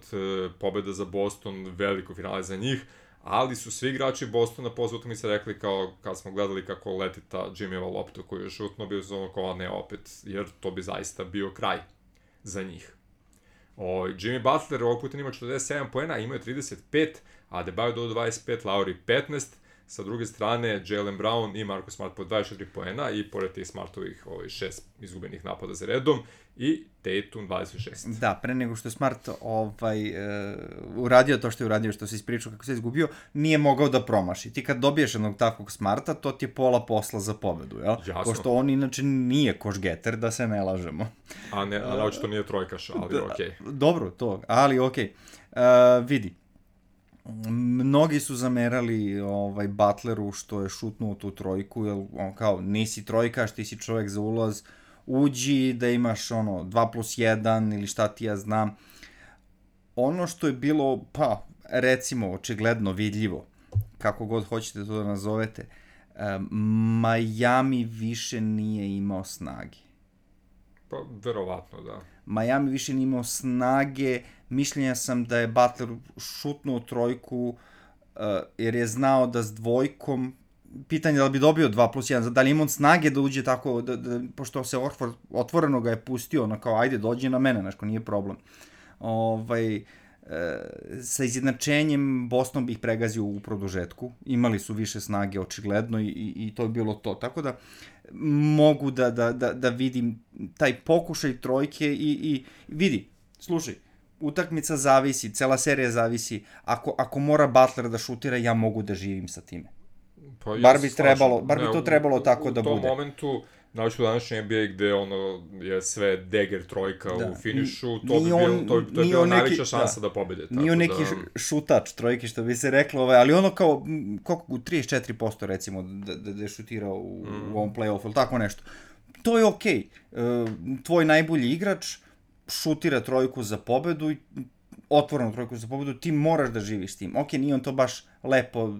pobeda za Boston, veliko finale za njih, ali su svi igrači Bostona posle utakmice rekli kao kad smo gledali kako leti ta Jimmyeva lopta koju je šutno, bio su ono kao ne opet, jer to bi zaista bio kraj za njih. Jimmy Butler ovog puta ima 47 poena, imao je 35, a Adebayo do 25, Lowry 15, sa druge strane Jaylen Brown i Marcus Smart po 24 poena i pored tih Smartovih 6 izgubenih napada za redom i Tatum 26. Da, pre nego što je Smart uradio to što je uradio, što se ispričao kako se izgubio, nije mogao da promaši. Ti kad dobiješ jednog takvog Smarta, to ti je pola posla za pobedu, jel? Jasno. Pošto on inače nije koš-getter, da se ne lažemo. A očito nije trojkaš, ali okej. Dobro, to, ali okej. Vidi. Mnogi su zamerali Butleru što je šutnuo tu trojku, jer on kao nisi trojkaš, ti si čovjek za ulaz, uđi da imaš 2+1 ili šta ti ja znam. Ono što je bilo, pa recimo očigledno vidljivo, kako god hoćete to da nazovete, Miami više nije imao snage. Pa verovatno, da. Miami više nije imao snage, mišljenja sam da je Butler šutnuo trojku jer je znao da s dvojkom, pitanje da li bi dobio 2+1, da li ima on snage da uđe tako, pošto se otvoreno ga je pustio, kao ajde dođi na mene, znaš, nije problem. Sa izjednačenjem Boston bi ih pregazio u produžetku, imali su više snage očigledno i to je bilo to, tako da mogu da vidim taj pokušaj trojke i vidi, slušaj, utakmica zavisi, cela serija zavisi, ako mora Butler da šutira, ja mogu da živim sa time. Pa Bar bi to trebalo tako da bude. U tom momentu, znači u današnjem NBA gde je sve dagger trojka u finišu, to bi bila najveća šansa da pobede. Nije on neki šutač trojke, što bi se reklo, ali ono kao, koliko, 34% recimo da je šutirao u ovom play-offu, ili tako nešto. To je okej. Tvoj najbolji igrač šutira trojku za pobedu i otvorenu trojku za pobedu, ti moraš da živiš s tim. Okej, nije on to baš lepo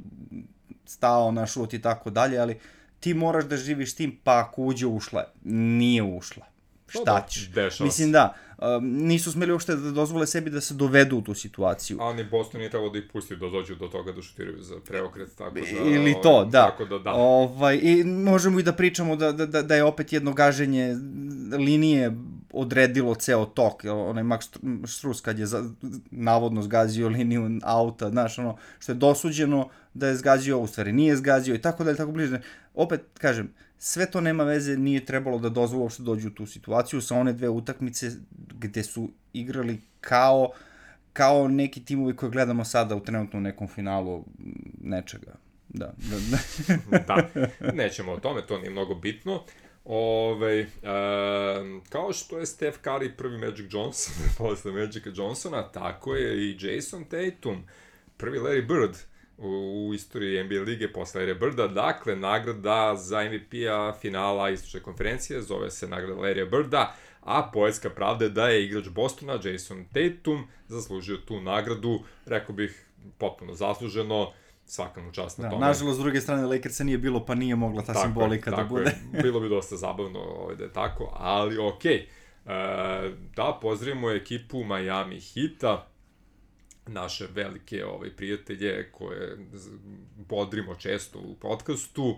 stao na šut i tako dalje, ali ti moraš da živiš s tim, pa ako ušla, nije ušla. Šta ćeš? Mislim da, nisu smeli uopšte da dozvole sebi da se dovedu u tu situaciju. A ni Boston nije trebalo da ih pusti da dođu do toga da šutiraju za preokret, tako da... Ili to, da. I možemo i da pričamo da je opet jedno gaženje linije odredilo ceo tok. Onaj Max Strus kad je navodno zgazio liniju auta, znaš, ono što je dosuđeno da je zgazio, u stvari nije zgazio i tako dalje, tako bliže. Opet, kažem, sve to nema veze, nije trebalo da dozvolo što dođu u tu situaciju sa one dve utakmice gde su igrali kao neki timovi koje gledamo sada u trenutno nekom finalu nečega. Da. Da, nećemo o tome, to nije mnogo bitno. Kao što je Steph Curry prvi Magic Johnson posle Magica Johnsona, tako je i Jason Tatum prvi Larry Bird u istoriji NBA lige posle Larry Birda. Dakle, nagrada za MVP-a finala istočne konferencije zove se nagrada Larry Birda, a poetska pravda je da je igrač Bostona Jason Tatum zaslužio tu nagradu, rekao bih potpuno zasluženo, svaka mu čast na tome. Nažalost, s druge strane, Lakersa nije bilo, pa nije mogla ta simbolika da bude. Tako je, bilo bi dosta zabavno da je tako, ali okej. Da, pozdravimo ekipu Miami Heata, naše velike prijatelje koje bodrimo često u podcastu.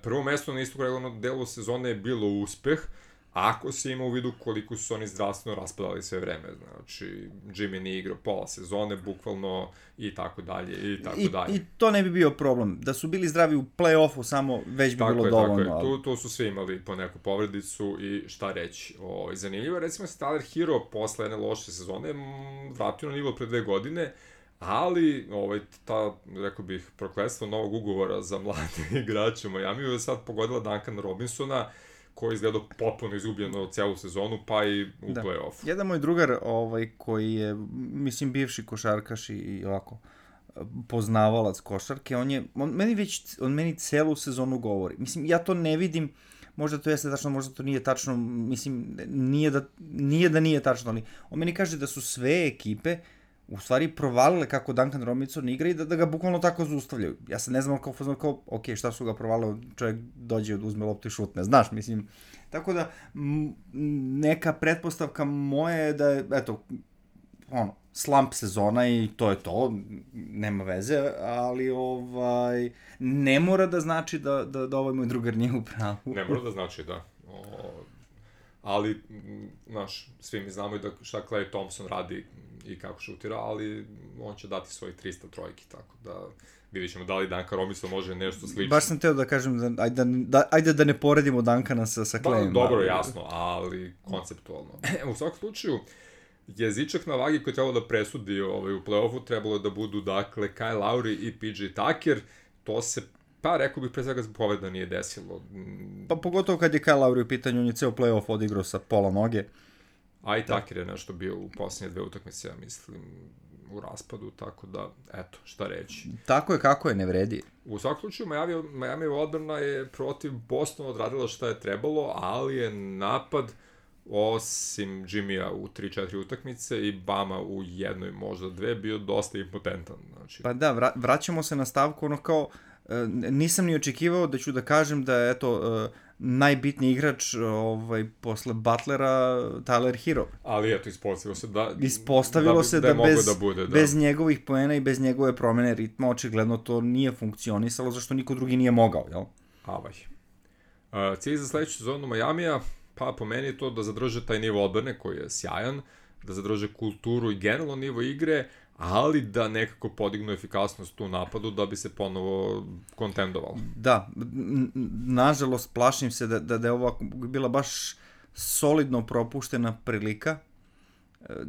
Prvo mesto na istog regularnog delu sezone je bilo uspeh, ako se ima u vidu koliko su oni zdravstveno raspadali sve vreme. Znači, Jimmy nije igrao pola sezone, bukvalno, i tako dalje, i tako dalje. I to ne bi bio problem. Da su bili zdravi u play-offu, samo već bi bilo dovoljno. Tako je, tu su svi imali po neku povredicu i šta reći. Zanimljivo, recimo se Tyler Hero posle jedne loše sezone vratio na nivo pre 2 godine, ali rekao bih, prokletstvo novog ugovora za mlade igrače u Miamiju je sad pogodila Duncan Robinsona, koji je izgledao potpuno izgubljeno celu sezonu, pa i u play-offu. Jedan moj drugar koji je, mislim, bivši košarkaš i ovako poznavalac košarke, on meni celu sezonu govori. Mislim, ja to ne vidim, možda to jeste tačno, možda to nije tačno, mislim, nije da nije tačno, ali on meni kaže da su sve ekipe u stvari provalile kako Duncan Robinson igra i da ga bukvalno tako zaustavljaju. Ja sad ne znam kao, ok, šta su ga provalile, čovjek dođe, uzme loptu i šutne, znaš, mislim. Tako da, neka pretpostavka moja je da je, eto, slump sezona i to je to, nema veze, ali ne mora da znači da ovaj moj drugar nije u pravu. Ne mora da znači, da. Ali, znaš, svi mi znamo i da šta Klay Thompson radi i kako šutira, ali on će dati svoje 300 trojki, tako da vidjet ćemo da li Duncan Robinson može nešto slično. Baš sam teo da kažem, ajde da ne poredimo Duncana sa Clayem. Dobro, jasno, ali konceptualno. U svakom slučaju, jezičak na vagi koji je trebalo da presudi u play-offu trebalo je da budu, dakle, Kyle Lowry i PJ Tucker. To se, rekao bih, pre svega zbog povreda nije desilo. Pa pogotovo kad je Kyle Lowry u pitanju, on je ceo play-off odigrao sa pola noge. A i Tucker je nešto bio u posljednje 2 utakmice, ja mislim, u raspadu, tako da, eto, šta reći. Tako je kako je, ne vredi. U svakom slučaju, Miami odbrana je protiv Bostona odradila šta je trebalo, ali je napad, osim Jimmya u 3-4 utakmice i Bama u 1, možda 2, bio dosta impotentan. Znači. Pa da, vraćamo se na stavku, kao, nisam ni očekivao da ću da kažem da je, eto, najbitniji igrač posle Butlera Tyler Hero. Ali eto, ispostavilo se da bez njegovih poena i bez njegove promene ritma očigledno to nije funkcionisalo, zašto niko drugi nije mogao, jel? Cilj za sledeću sezonu Miamija, pa po meni je to da zadrže taj nivo odbrane koji je sjajan, da zadrže kulturu i generalno nivo igre, ali da nekako podignu efikasnost u napadu da bi se ponovo kontendovalo. Da, nažalost plašim se da je ovo bila baš solidno propuštena prilika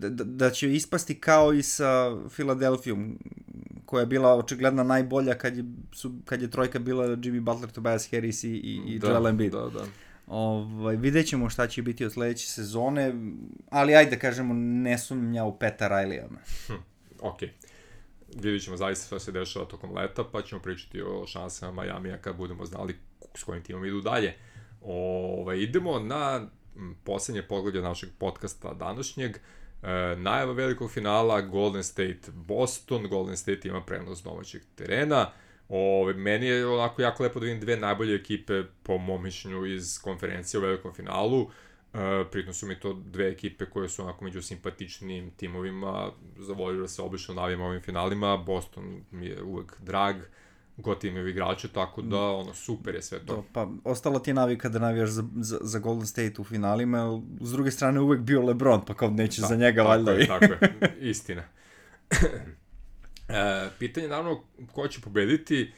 da će ispasti kao i sa Philadelphijom, koja je bila očigledna najbolja kad je trojka bila Jimmy Butler, Tobias Harris i Joel Embiid. Da. Vidjet ćemo šta će biti od sledeće sezone, ali ajde da kažemo, ne sumnja u Peta Riley-a. Okej. Vidjet ćemo zaista šta se dešava tokom leta, pa ćemo pričati o šansama Miamija kad budemo znali s kojim timom idu dalje. Idemo na poslednje poglavlje našeg podcasta današnjeg. Najava velikog finala Golden State Boston. Golden State ima prenos domaćeg terena. Meni je onako jako lepo da vidim dve najbolje ekipe po mom mišljenju iz konferencije u velikom finalu. Pritom su mi to dve ekipe koje su onako među simpatičnim timovima. Zavolio da se obično navijam ovim finalima. Boston mi je uvek drag. God imaju igrače, tako da super je sve to. Pa ostala ti je navika da navijaš za Golden State u finalima, s druge strane uvek bio LeBron, pa kao neće za njega valjda. Tako je, istina. Pitanje naravno ko će pobediti,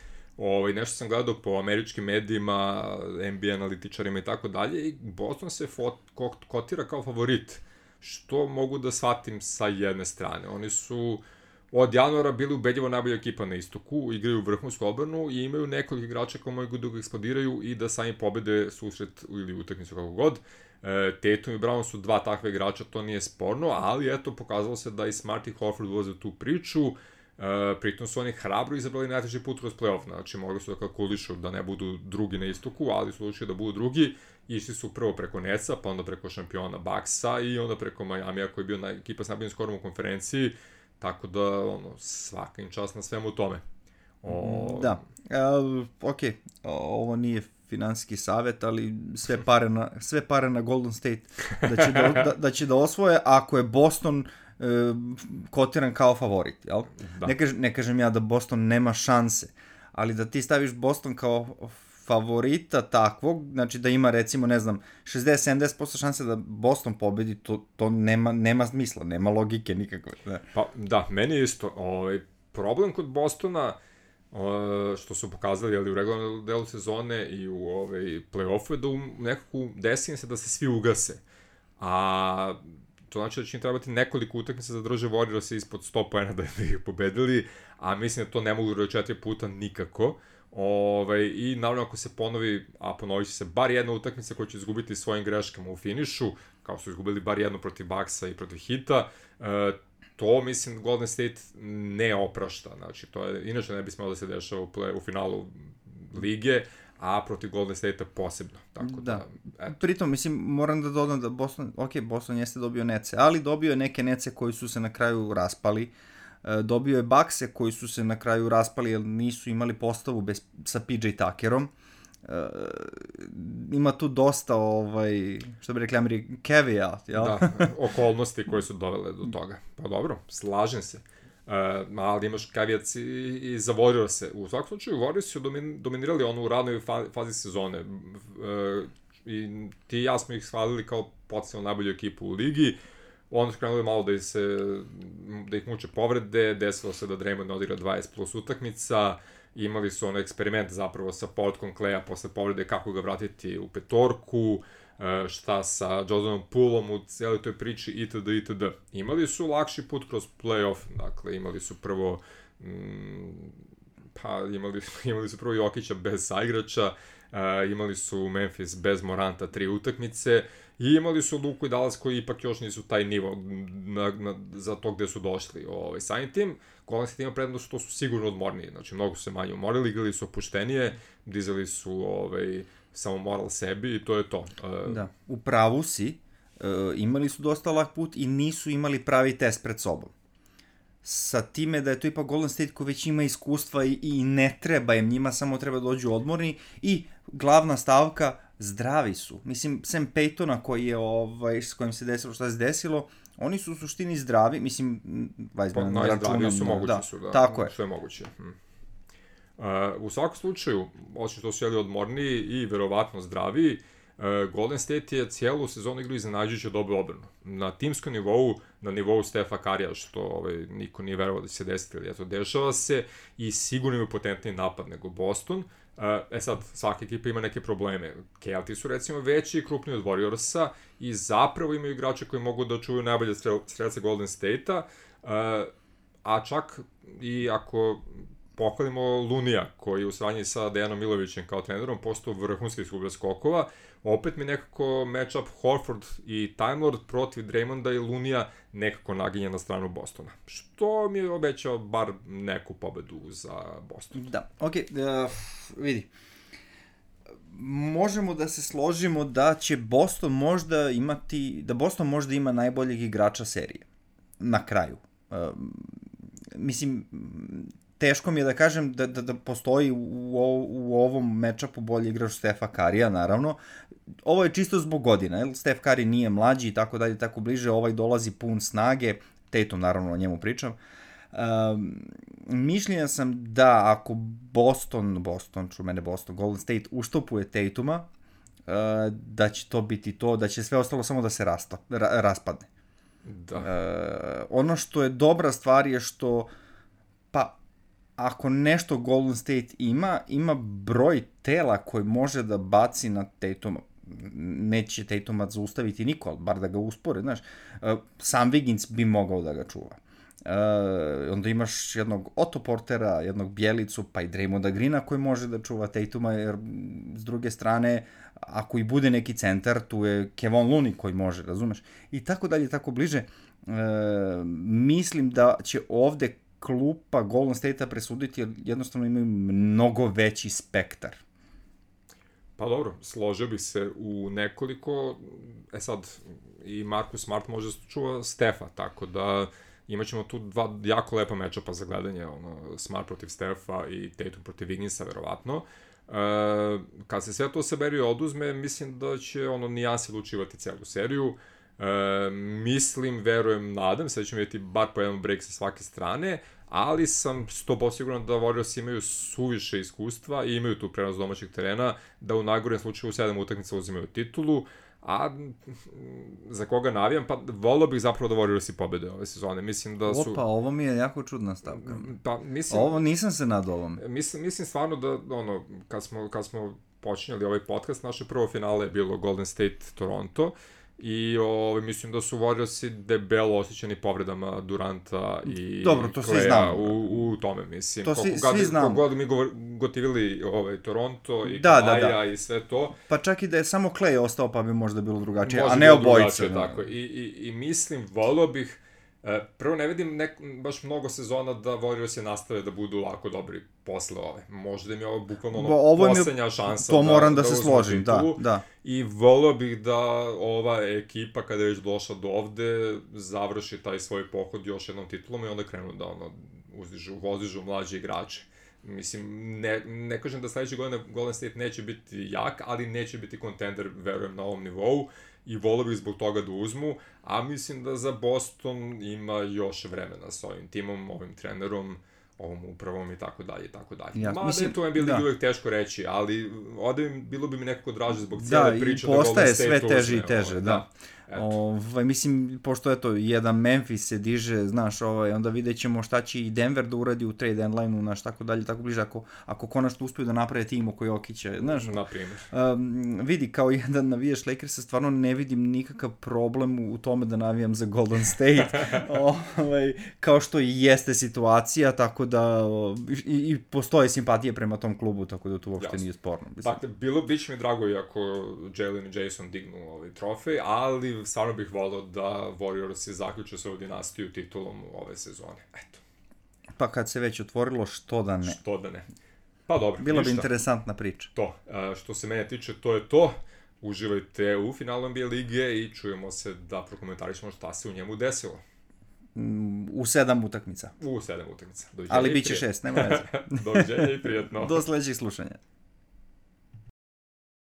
nešto sam gledao po američkim medijima, NBA analitičarima i tako dalje, i Boston se kotira kao favorit, što mogu da shvatim sa jedne strane. Oni su od januara bili ubedljivo najbolja ekipa na istoku, igraju vrhunsku odbranu i imaju nekoliko igrača koji mogu da eksplodiraju i da sami pobede susret ili utakmicu kako god. Tatum i Brown su dva takve igrača, to nije sporno, ali eto, pokazalo se da i Smart i Horford ulaze u tu priču. Pritom su oni hrabro izabrali najteži put kroz playoff, znači mogli su da kalkulišu da ne budu drugi na istoku, ali su odlučili da budu drugi. Išli su prvo preko Netsa, pa onda preko šampiona Bucksa i onda preko Miamija koji je bio ekipa s najboljim skorom u konferenciji. Tako da, svaka im čast na svemu tome. Da, ovo nije finansijski savjet, ali sve pare na Golden State da će da osvoje, ako je Boston kotiran kao favorit, jel? Da. Ne kažem ja da Boston nema šanse, ali da ti staviš Boston kao favorita takvog, znači da ima recimo, ne znam, 60-70% šanse da Boston pobedi, to nema smisla, nema logike nikakve. Da. Pa da, meni je isto. Problem kod Bostona, što su pokazali u regularnom delu sezone i u play-offu, je da nekako desi se da se svi ugase. A to znači da će im trebati nekoliko utakmica da drže Warriors ispod 100 poena da ih pobedili, a mislim da to ne mogu da 4 puta nikako. I naravno ako se ponovi, a ponovit će se bar jedna utakmica koja će izgubiti svojim greškama u finišu, kao su izgubili bar jednu protiv Bucksa i protiv Hita, to mislim Golden State ne oprašta, znači to je, inače ne bi smelo da se dešava u finalu lige, a protiv Golden State-a posebno. Tako da, pritom, mislim, moram da dodam da Boston jeste dobio nece, ali dobio je neke nece koji su se na kraju raspali. Dobio je Buckse koji su se na kraju raspali jer nisu imali postavu sa PJ Tuckerom. Ima tu dosta, što bi rekli Ameri, caveat, jel? Da, okolnosti koje su dovele do toga. Pa dobro, slažem se. Ali imaš caveat i za Warriors-e. U svakom slučaju, Warriors su dominirali u ranoj fazi sezone. I ti i ja smo ih shvalili kao potencijalno najbolju ekipu u ligi. Onda su krenuli malo da ih muče povrede, desilo se da Draymond odigra 20 plus utakmica, imali su eksperiment zapravo sa povratkom Kleja posle povrede, kako ga vratiti u petorku, šta sa Jordanom Poolom u cijeloj toj priči itd. Imali su lakši put kroz play-off, dakle imali su prvo imali su prvo Jokića bez saigrača, imali su Memphis bez Moranta 3 utakmice i imali su Luku i Dallas koji ipak još nisu taj nivo za to gde su došli. Samim tim, Golden State ima prednost što su sigurno odmorniji, znači mnogo su se manje umorili, igrali su opuštenije, dizali su samo moral sebi i to je to. Da, u pravu si, imali su dosta lak put i nisu imali pravi test pred sobom. Sa time da je to ipak Golden State koji već ima iskustva i ne treba im, njima samo treba dođu odmorni i glavna stavka, zdravi su. Mislim, Sam Paytona koji je, s kojim se desilo šta se desilo, oni su u suštini zdravi, mislim, najzdraviji su mogući su, da, tako je. Sve moguće. U svakom slučaju, osim što su odmorniji i verovatno zdraviji, Golden State je cijelu sezonu igrao iznenađujuće dobru odbranu. Na timskom nivou, na nivou Stefa Karija, što niko nije verovao da će se desiti, ali eto, dešava se i sigurno imaju potentniji napad nego Boston. Sad, svaka ekipa ima neke probleme. Kelti su recimo veći i krupniji od Warriorsa i zapravo imaju igrače koji mogu da čuvaju najbolje strelce Golden State-a, a čak i ako pohvalimo Lunija, koji u sranji sa Dejanom Milovićem kao trenerom postao vrhunski izgublja skokova, opet mi nekako matchup Horford i Time Lord protiv Draymonda i Lunija nekako naginje na stranu Bostona. Što mi je obećao bar neku pobedu za Boston. Da, vidi. Možemo da se složimo da će Boston možda imati, da Boston možda ima najboljeg igrača serije. Na kraju. Mislim, teško mi je da kažem da postoji u ovom matchupu bolji igrač Stefa Karija, naravno. Ovo je čisto zbog godina, jer Stef Kari nije mlađi i tako dalje, tako bliže, ovaj dolazi pun snage, Tatum, naravno, o njemu pričam. Mišljenja sam da ako Boston, Golden State uštopuje Tatuma, da će to biti to, da će sve ostalo samo da se raspadne. Da. Ono što je dobra stvar je što, ako nešto Golden State ima broj tela koji može da baci na Tatuma. Neće Tatuma zaustaviti niko, ali bar da ga uspore, znaš. Sam Wiggins bi mogao da ga čuva. Onda imaš jednog Otto Portera, jednog Bjelicu, pa i Draymonda Greena koji može da čuva Tatuma, jer s druge strane, ako i bude neki centar, tu je Kevon Looney koji može, razumeš? I tako dalje, tako bliže. Mislim da će ovde klupa Golden State-a presuditi, jer jednostavno imaju mnogo veći spektar. Pa dobro, složio bih se u nekoliko, sad i Marcus Smart može da čuva Stefa, tako da imaćemo tu dva jako lepa matchupa za gledanje, Smart protiv Stefa i Tatum protiv Wigginsa, verovatno. Kad se sve to saberi i oduzme, mislim da će nijansi lučivati celu seriju. Mislim, verujem, nadam se da ćemo vidjeti bar po jedan break sa svake strane, ali sam 100% siguran da Warriors imaju suviše iskustva i imaju tu prenos domaćeg terena, da u najgorem slučaju u 7 utakmica uzimaju titulu, a za koga navijam, pa volio bih zapravo da Warriors i pobede ove sezone. Mislim da su... Opa, ovo mi je jako čudna stavka. Pa, mislim... Ovo nisam se nadao ovom. Mislim stvarno da, kad smo počinjali ovaj podcast, naše prvo finale je bilo Golden State-Toronto, i mislim da su Warriorsi debelo osjećani povredama Duranta i Kleja u tome, mislim. To svi znamo. Kogod mi gotivili Toronto i Kavaja i sve to. Pa čak i da je samo Klej ostao, pa bi možda bilo drugačije, a ne obojice. Tako. I mislim, volio bih, prvo ne vidim baš mnogo sezona da Warriorsi nastave da budu lako dobri posle ove. Možda im je ovo bukvalno poslednja šansa to moram da se složim, da. I volio bih da ova ekipa, kada je već došla do ovde, završi taj svoj pohod još jednom titulom i onda krenu da vozižu mlađe igrače. Mislim, ne kažem da sledeće godine Golden State neće biti jak, ali neće biti kontender, verujem, na ovom nivou. I volio bih zbog toga da uzmu, a mislim da za Boston ima još vremena sa ovim timom, ovim trenerom, ovom upravom i tako dalje, i tako dalje. Ja, da je to NBA uvijek teško reći, ali ovde bilo bi mi nekako draže zbog cijele priče da Golden State uzme. Da, i postaje sve teže i teže, da. Mislim, pošto jedan Memphis se diže, znaš, onda vidjet ćemo šta će i Denver da uradi u trade deadline-u, znaš, tako dalje, tako bliže, ako konačno uspiju da naprave tim oko Jokića, znaš. Naprimjer. Vidi, kao jedan navijaš Lakersa, stvarno ne vidim nikakav problem u tome da navijam za Golden State, kao što i jeste situacija, tako da i postoje simpatije prema tom klubu, tako da to uopšte nije sporno. Dakle, biće mi drago i ako Jalen i Jason dignu trofej, ali stvarno bih volao da Warriors zaključe svoju dinastiju titulom ove sezone. Eto. Pa kad se već otvorilo, što da ne? Što da ne. Pa dobro, bila bi interesantna priča. To. Što se mene tiče, to je to. Uživajte u finalu NBA lige i čujemo se da prokomentarišemo šta se u njemu desilo. U 7 utakmica. U 7 utakmica. Ali bit će 6, nema veze. Doviđenja i prijatno. Do sledećeg slušanja.